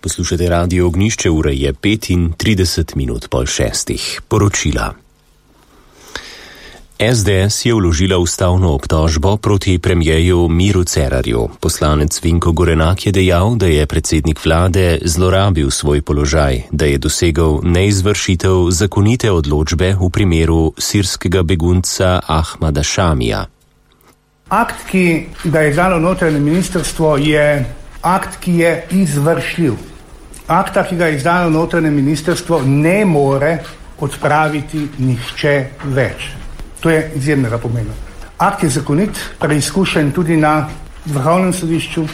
Poslušate Radio Ognjišče, ura je 35 minut po 6. Poročila. SDS je vložila ustavno obtožbo proti premierju Miru Cerarju. Poslanec Vinko Gorenak je dejal, da je predsednik vlade zlorabil svoj položaj, da je dosegel neizvršitev zakonite odločbe v primeru sirskega begunca Ahmada Šamija. Akt, ki ga je izdalo notranje ministrstvo, je akt, ki je izvršljiv. Akta, ki ga je izdalo notranje ministrstvo, ne more odpraviti nihče več. To je izjemnega pomena. Akt je zakonit, preizkušen tudi na Vrhovnem sodišču,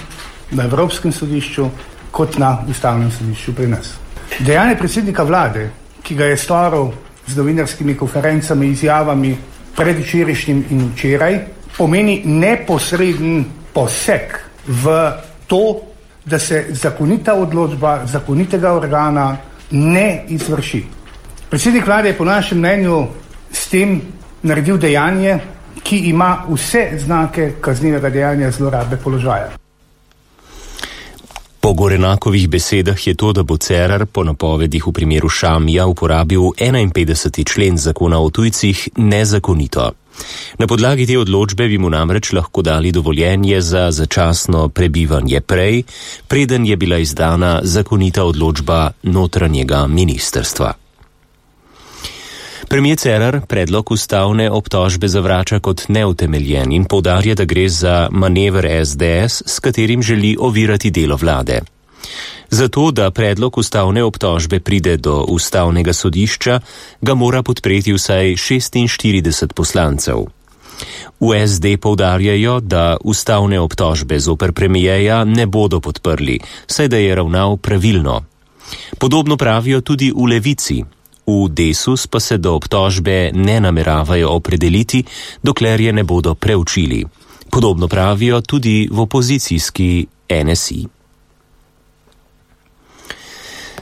na Evropskem sodišču, kot na Ustavnem sodišču pri nas. Dejanje predsednika vlade, ki ga je storil z novinarskimi konferencami, izjavami predvčerajšnjim in včeraj, pomeni neposreden poseg v to, da se zakonita odločba zakonitega organa ne izvrši. Predsednik vlade je po našem mnenju s tem naredil dejanje, ki ima vse znake kaznivega dejanja zlorabe položaja. Po Gorenakovih besedah je to, da bo Cerar po napovedih v primeru Šamija uporabil 51. člen zakona o tujcih, nezakonito. Na podlagi te odločbe bi mu namreč lahko dali dovoljenje za začasno prebivanje prej, preden je bila izdana zakonita odločba notranjega ministrstva. Premier Cerar predlog ustavne obtožbe zavrača kot neutemeljen in poudarja, da gre za manever SDS, s katerim želi ovirati delo vlade. Zato, da predlog ustavne obtožbe pride do ustavnega sodišča, ga mora podpreti vsaj 46 poslancev. V SD poudarjajo, da ustavne obtožbe zoper premierja ne bodo podprli, saj da je ravnal pravilno. Podobno pravijo tudi v Levici. V Desus pa se do obtožbe ne nameravajo opredeliti, dokler je ne bodo preučili. Podobno pravijo tudi v opozicijski NSI.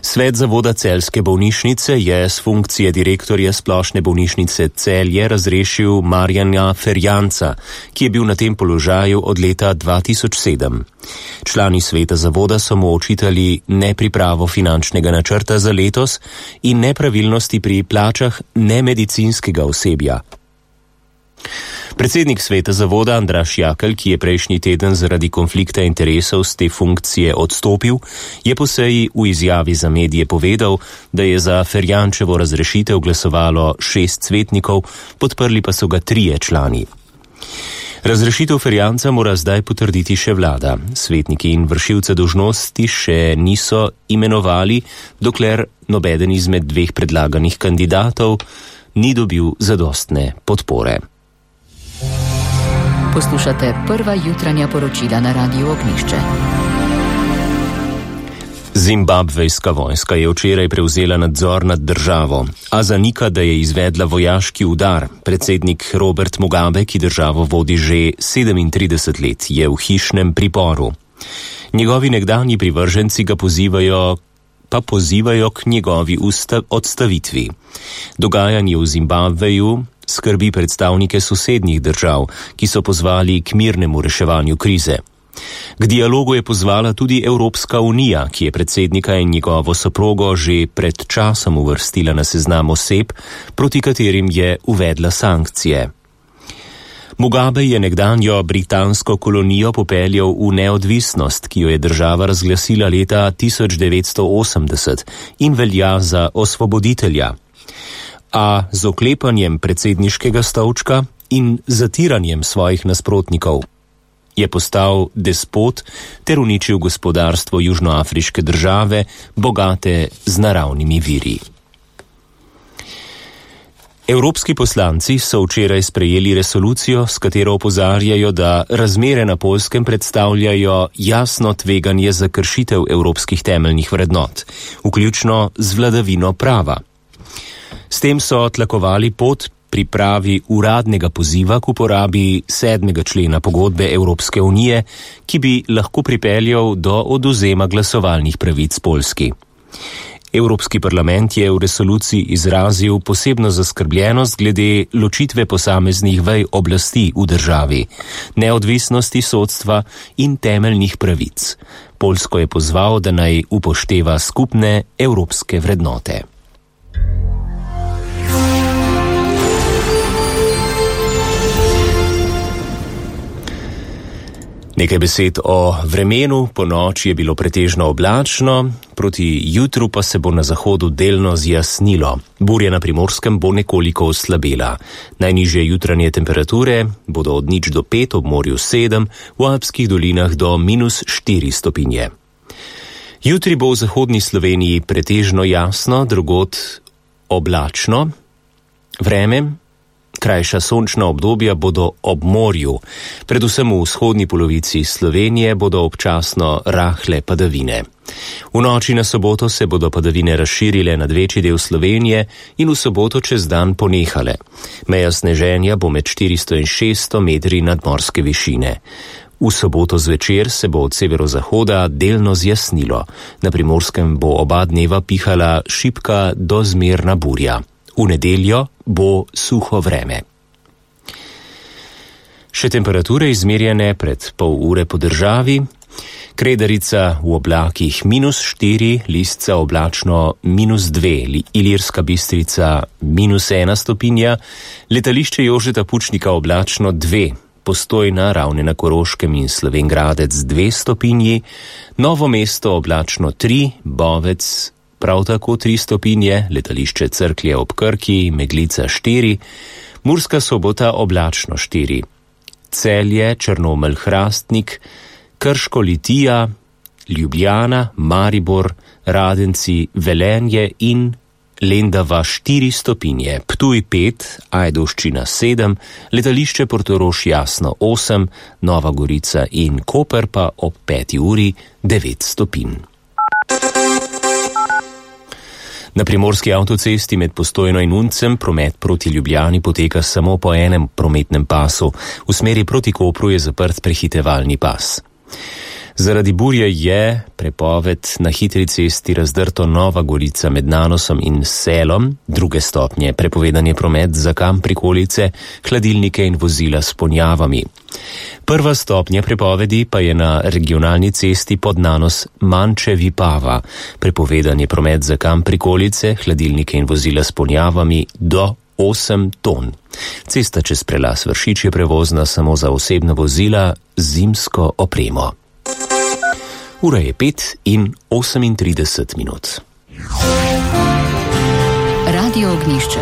Svet zavoda Celjske bolnišnice je s funkcije direktorja splošne bolnišnice Celje razrešil Marjana Ferjanca, ki je bil na tem položaju od leta 2007. Člani sveta zavoda so mu očitali nepripravo finančnega načrta za letos in nepravilnosti pri plačah nemedicinskega osebja. Predsednik sveta zavoda Andraž Jakl, ki je prejšnji teden zaradi konflikta interesov z te funkcije odstopil, je po seji v izjavi za medije povedal, da je za Ferjančevo razrešitev glasovalo 6 svetnikov, podprli pa so ga 3 člani. Razrešitev Ferjanca mora zdaj potrditi še vlada. Svetniki in vršilce dolžnosti še niso imenovali, dokler nobeden izmed 2 predlaganih kandidatov ni dobil zadostne podpore. Poslušate prva jutranja poročila na Radiu Ognjišče. Zimbabvejska vojska je včeraj prevzela nadzor nad državo, a zanika, da je izvedla vojaški udar. Predsednik Robert Mugabe, ki državo vodi že 37 let, je v hišnem priporu. Njegovi nekdanji privrženci ga pozivajo k njegovi odstavitvi. Dogajanje v Zimbabveju skrbi predstavnike sosednjih držav, ki so pozvali k mirnemu reševanju krize. K dialogu je pozvala tudi Evropska unija, ki je predsednika in njegovo soprogo že pred časom uvrstila na seznam oseb, proti katerim je uvedla sankcije. Mugabe je nekdanjo britansko kolonijo popeljal v neodvisnost, ki jo je država razglasila leta 1980 in velja za osvoboditelja. A z oklepanjem predsedniškega stolčka in zatiranjem svojih nasprotnikov je postal despot ter uničil gospodarstvo južnoafriške države, bogate z naravnimi viri. Evropski poslanci so včeraj sprejeli resolucijo, s katero opozarjajo, da razmere na Poljskem predstavljajo jasno tveganje za kršitev evropskih temeljnih vrednot, vključno z vladavino prava. S tem so tlakovali pot pripravi uradnega poziva k uporabi 7. člena pogodbe Evropske unije, ki bi lahko pripeljal do odvzema glasovalnih pravic Poljski. Evropski parlament je v resoluciji izrazil posebno zaskrbljenost glede ločitve posameznih vej oblasti v državi, neodvisnosti sodstva in temeljnih pravic. Poljsko je pozval, da naj upošteva skupne evropske vrednote. Nekaj besed o vremenu. Po noči je bilo pretežno oblačno, proti jutru pa se bo na zahodu delno zjasnilo. Burja na Primorskem bo nekoliko oslabela. Najnižje jutranje temperature bodo od 0 do 5, ob morju 7, v alpskih dolinah do -4 stopinje. Jutri bo v zahodni Sloveniji pretežno jasno, drugod oblačno. Vreme, krajša sončna obdobja bodo ob morju. Predvsem v vzhodni polovici Slovenije bodo občasno rahle padavine. V noči na soboto se bodo padavine razširile nad večji del Slovenije in v soboto čez dan ponehale. Meja sneženja bo med 400 in 600 metri nadmorske višine. V soboto zvečer se bo od severozahoda delno zjasnilo. Na Primorskem bo oba dneva pihala šibka do zmerna burja. V nedeljo bo suho vreme. Še temperature izmerjene pred pol ure po državi. Kredarica v oblakih -4, Lisca oblačno -2, Ilirska Bistrica -1 stopinja, letališče Jožeta Pučnika oblačno 2, Postojna, Ravne na Koroškem in Slovenj Gradec 2 stopinji, Novo mesto oblačno 3, Bovec prav tako 3 stopinje, letališče Cerklje ob Krki, Meglica 4, Murska Sobota oblačno 4, Celje, Črnomelj, Hrastnik, Krško, Litija, Ljubljana, Maribor, Radenci, Velenje in Lendava 4 stopinje, Ptuj 5, Ajdovščina 7, letališče Portorož jasno 8, Nova Gorica in Koper pa ob 5 uri 9 stopinj. Na primorski avtocesti med Postojno in Uncem promet proti Ljubljani poteka samo po enem prometnem pasu. V smeri proti Kopru je zaprt prehitevalni pas. Zaradi burje je prepoved na hitri cesti Razdrto Nova Gorica med Nanosom in Selom, 2 stopnje, prepovedan je promet za kam prikolice, hladilnike in vozila s ponjavami. 1. stopnja prepovedi pa je na regionalni cesti pod Nanos Manče Vipava, prepovedan je promet za kam prikolice, hladilnike in vozila s ponjavami do 8 ton. Cesta čez prelaz Vršič je prevozna samo za osebna vozila z zimsko opremo. Ura je 5:38. Radio Ognjišče.